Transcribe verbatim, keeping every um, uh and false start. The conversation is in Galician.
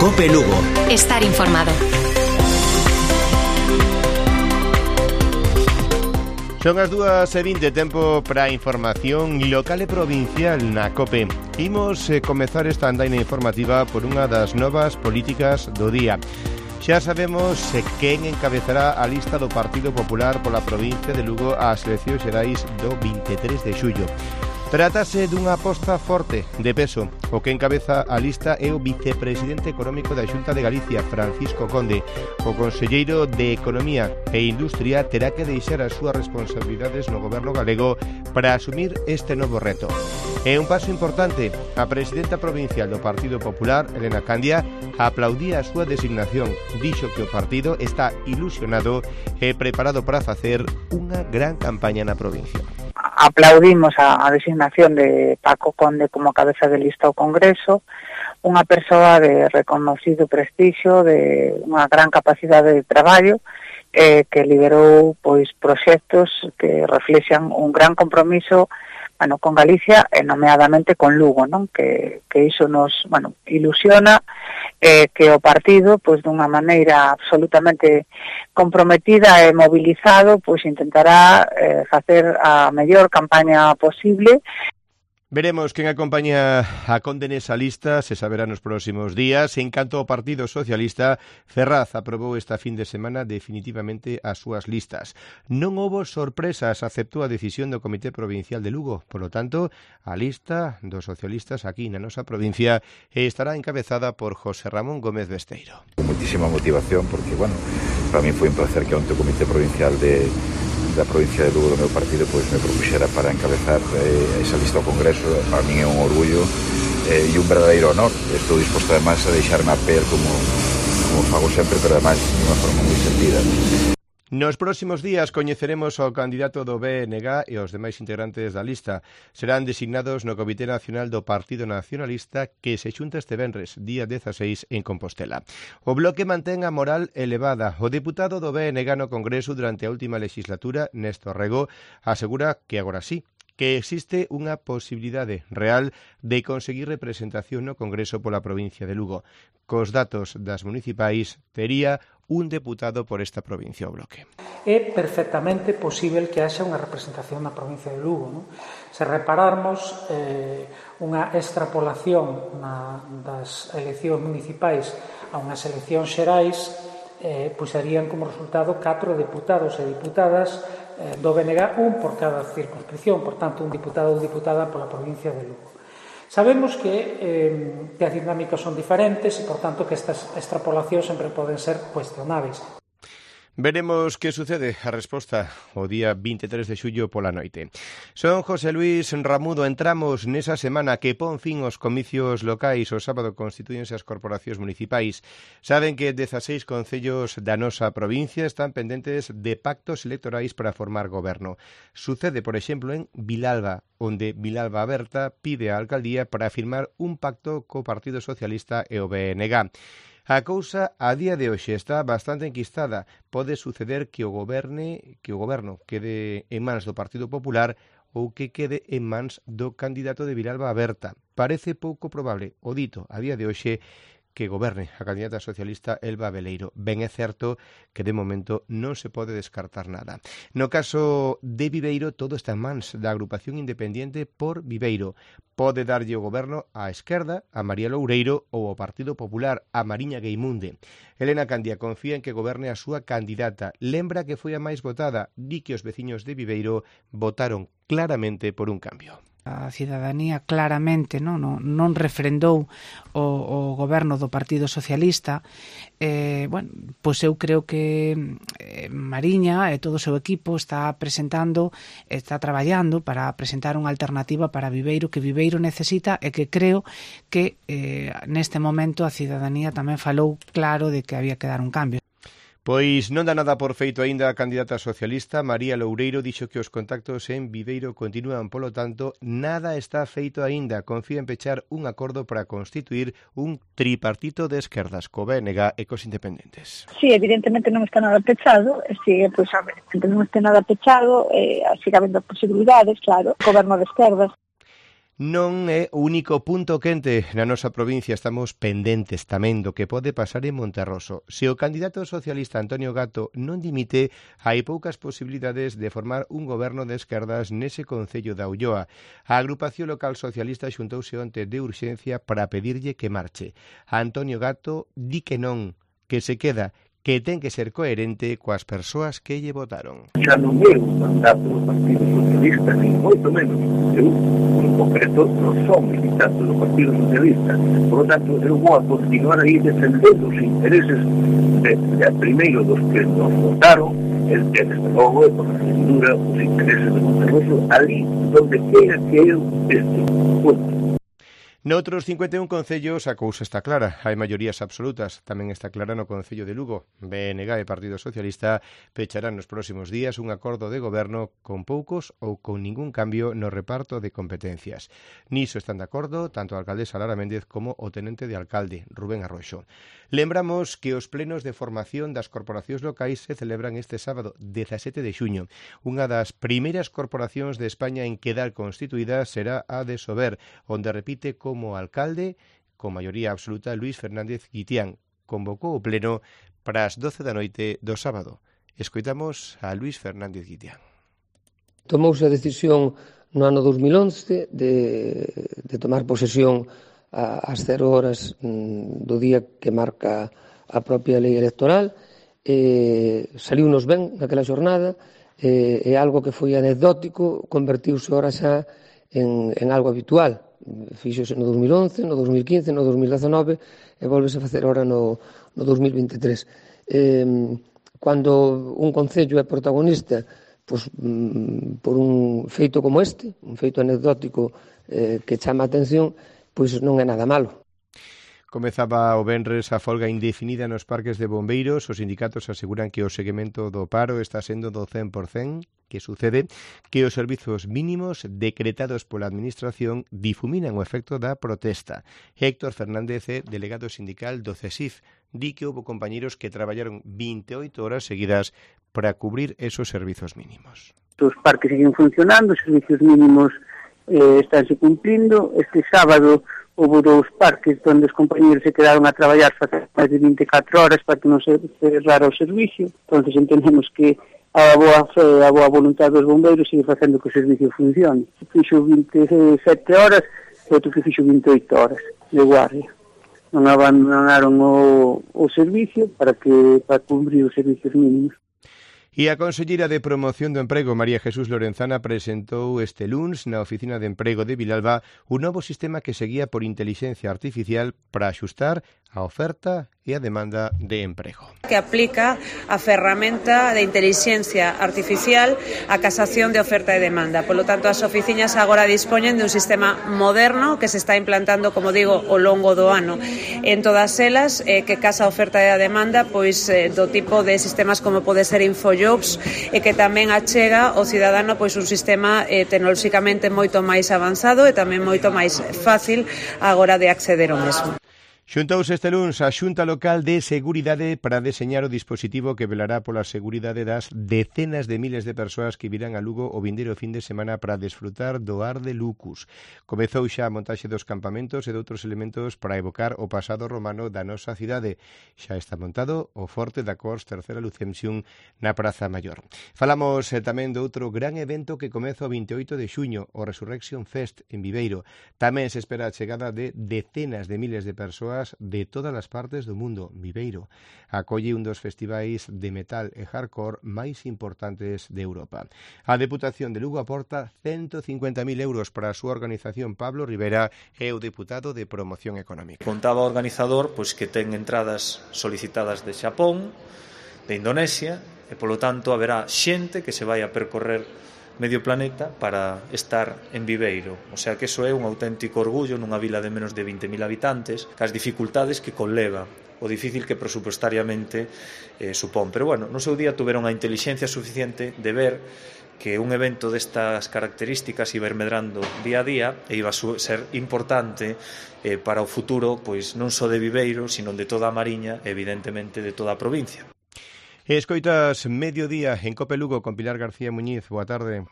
COPE Lugo. Estar informado. Son as dúas e vinte, tempo para a información local e provincial na COPE. Imos eh, comezar esta andaina informativa por unha das novas políticas do día. Xa sabemos eh, quen encabezará a lista do Partido Popular pola provincia de Lugo ás eleccións xerais do vinte e tres de xullo. Trátase dunha aposta forte, de peso. O que encabeza a lista é o vicepresidente económico da Xunta de Galicia, Francisco Conde. O conselleiro de Economía e Industria terá que deixar as súas responsabilidades no goberno galego para asumir este novo reto. É un paso importante. A presidenta provincial do Partido Popular, Elena Candia, aplaudía a súa designación. Dixo que o partido está ilusionado e preparado para facer unha gran campaña na provincia. Aplaudimos a, a designación de Paco Conde como cabeza de lista ao Congreso, unha persoa de reconocido prestixio, de unha gran capacidade de traballo, eh, que liderou pois proxectos que reflexan un gran compromiso, bueno, con Galicia e nomeadamente con Lugo, non? Que, que iso nos, bueno, ilusiona, eh, que o partido, pois dunha maneira absolutamente comprometida e mobilizado, pois intentará eh, facer a mellor campaña posible. Veremos quen acompaña a Conde nesa lista, se saberá nos próximos días. En canto ao Partido Socialista, Ferraz aprobou esta fin de semana definitivamente as súas listas. Non houbo sorpresas, aceptou a decisión do Comité Provincial de Lugo. Por lo tanto, a lista dos socialistas aquí na nosa provincia estará encabezada por José Ramón Gómez Besteiro. Muchísima motivación porque, bueno, para mí foi un placer que onte o Comité Provincial de da provincia de Lugo do meu partido pois me propuxera para encabezar eh, esa lista ao Congreso. Para min é un orgullo eh, e un verdadeiro honor. Estou disposto además a deixarme a pel como, como fago sempre, pero además de unha forma moi sentida. Nos próximos días coñeceremos ao candidato do B N G e os demais integrantes da lista. Serán designados no Comité Nacional do Partido Nacionalista que se xunta este venres, día dezaseis, en Compostela. O Bloque mantén a moral elevada. O deputado do B N G no Congreso durante a última legislatura, Néstor Rego, asegura que agora sí, que existe unha posibilidade real de conseguir representación no Congreso pola provincia de Lugo. Cos datos das municipais, tería un deputado por esta provincia o Bloque. É perfectamente posible que haxa unha representación na provincia de Lugo, non? Se repararmos eh, unha extrapolación na, das eleccións municipais a unhas eleccións xerais, eh, pois serían como resultado catro deputados e diputadas eh, do B N G, un por cada circunscripción, por tanto, un diputado ou diputada pola provincia de Lugo. Sabemos que, eh, que as dinámicas son diferentes e, por tanto, que estas extrapolacións sempre poden ser cuestionables. Veremos que sucede a resposta o día vinte e tres de xullo pola noite. Son José Luis Ramudo. Entramos nesa semana que pon fin aos comicios locais. O sábado constitúense as corporacións municipais. Saben que dezaseis concellos da nosa provincia están pendentes de pactos electorais para formar goberno. Sucede, por exemplo, en Vilalba, onde Vilalba Aberta pide á alcaldía para firmar un pacto co Partido Socialista e o B N G. A cousa a día de hoxe está bastante enquistada. Pode suceder que o goberne, que o goberno quede en mans do Partido Popular ou que quede en mans do candidato de Vilalba Aberta. Parece pouco probable, o dito a día de hoxe, que goberne a candidata socialista Elba Beleiro. Ben é certo que de momento non se pode descartar nada. No caso de Viveiro, todo está en mans da agrupación independiente Por Viveiro. Pode darlle o goberno á esquerda, a María Loureiro, ou ao Partido Popular, a Mariña Gueimunde. Elena Candia confía en que goberne a súa candidata. Lembra que foi a máis votada. Di que os veciños de Viveiro votaron claramente por un cambio. A cidadanía claramente non, non, non refrendou o, o goberno do Partido Socialista. Eh, bueno, pois eu creo que eh, Mariña e todo o seu equipo está presentando, está traballando para presentar unha alternativa para Viveiro, que Viveiro necesita, e que creo que eh, neste momento a cidadanía tamén falou claro de que había que dar un cambio. Pois non dá nada por feito aínda a candidata socialista. María Loureiro dixo que os contactos en Viveiro continúan, polo tanto, nada está feito aínda. Confía en pechar un acordo para constituir un tripartito de esquerdas co B N G e cos independentes. Sí, evidentemente non está nada pechado, e sigue, pois, a ver, non está nada pechado, eh, sigue habendo posibilidades, claro, goberno de esquerdas. Non é o único punto quente na nosa provincia, estamos pendentes tamén do que pode pasar en Monterroso. Se o candidato socialista Antonio Gato non dimite, hai poucas posibilidades de formar un goberno de esquerdas nese concello da Ulloa. A agrupación local socialista xuntouse onte de urxencia para pedirlle que marche. Antonio Gato di que non, que se queda, que ten que ser coherente coas persoas que lle votaron. Xa non é un mandato do Partido Socialista, ni moito menos. Eu, en concreto, non son militante do Partido Socialista. Por lo tanto, eu vou a continuar aí defendendo os intereses de, de primeiro dos que nos votaron, el que, desde logo, e por figura, os intereses de Monterroso, ali donde queira que eu este. Punto. Noutros cincuenta e un concellos a cousa está clara, hai maiorías absolutas, tamén está clara no concello de Lugo. B N G e Partido Socialista pecharán nos próximos días un acordo de goberno con poucos ou con ningún cambio no reparto de competencias. Niso están de acordo tanto a alcaldesa Lara Méndez como o tenente de alcalde, Rubén Arroxo. Lembramos que os plenos de formación das corporacións locais se celebran este sábado, dezasete de xuño. Unha das primeiras corporacións de España en quedar constituída será a de Sober, onde repite con como alcalde, con maioría absoluta, Luís Fernández Guitián. Convocou o pleno para as doce da noite do sábado. Escoitamos a Luís Fernández Guitián. Tomouse a decisión no ano dos mil once de, de tomar posesión ás cero horas do día que marca a propia lei electoral. Eh, saliunos ben naquela xornada, eh, e algo que foi anecdótico convertiuse ora xa en, en algo habitual. Fíxose no dos mil once, no dos mil quince, no dos mil dezanove e volvese a facer ahora no, no dos mil veintitrés. Eh, cando un concello é protagonista pois, mm, por un feito como este, un feito anecdótico eh, que chama a atención, pois non é nada malo. Comezaba o venres a folga indefinida nos parques de bombeiros. Os sindicatos aseguran que o seguimento do paro está sendo do cen por cen. Que sucede que os servizos mínimos decretados pola Administración difuminan o efecto da protesta. Héctor Fernández, delegado sindical do CESIF, di que houve compañeros que traballaron veintioito horas seguidas para cubrir esos servizos mínimos. Os parques siguen funcionando, os servizos mínimos eh, estánse cumplindo. Este sábado houve dous parques onde os compañeros se quedaron a traballar facer máis de veinticuatro horas para que non se cerrara o servicio. Entón, entendemos que a boa fe, a boa voluntade dos bombeiros sigue facendo que o servicio funcione. Fixo veintisiete horas e outro que fixo veintioito horas de guardia. Non abandonaron o, o servicio para que para cumprir os servicios mínimos. E a conselleira de Promoción do Emprego, María Jesús Lorenzana, presentou este luns na Oficina de Emprego de Vilalba un novo sistema que seguía por intelixencia artificial para axustar a oferta e a demanda de emprego. Que aplica a ferramenta de intelixencia artificial a casación de oferta e demanda. Por lo tanto, as oficinas agora dispoñen de un sistema moderno que se está implantando, como digo, ao longo do ano. En todas elas, eh, que casa a oferta e a demanda, pois eh, do tipo de sistemas como pode ser Infojobs, e que tamén achega ao cidadano pois un sistema eh, tecnolóxicamente moito máis avanzado e tamén moito máis fácil agora de acceder ao mesmo. Xuntouse este luns a Xunta Local de Seguridade para deseñar o dispositivo que velará pola seguridade das decenas de miles de persoas que virán a Lugo o vindeiro fin de semana para desfrutar do ar de Lucus. Comezou xa a montaxe dos campamentos e de outros elementos para evocar o pasado romano da nosa cidade. Xa está montado o Forte da Cors Terceira Lucensión na Praza Maior. Falamos eh, tamén do outro gran evento que comeza o veintioito de xuño, o Resurrection Fest en Viveiro. Tamén se espera a chegada de decenas de miles de persoas de todas as partes do mundo. Viveiro acolle un dos festivais de metal e hardcore máis importantes de Europa. A Deputación de Lugo aporta ciento cincuenta mil euros para a súa organización. Pablo Rivera é o deputado de Promoción Económica. Contaba o organizador pois que ten entradas solicitadas de Xapón, de Indonesia, e polo tanto haberá xente que se vai a percorrer medio planeta para estar en Viveiro. O sea que eso é un auténtico orgullo nunha vila de menos de vinte mil habitantes, cas dificultades que conleva, o difícil que presupuestariamente eh, supón. Pero bueno, no seu día tuveron a intelixencia suficiente de ver que un evento destas características iba ir medrando día a día e iba a ser importante eh, para o futuro, pois non só de Viveiro, sino de toda a Mariña, evidentemente de toda a provincia. Escoitas Mediodía en Cope Lugo con Pilar García Muñiz. Boa tarde.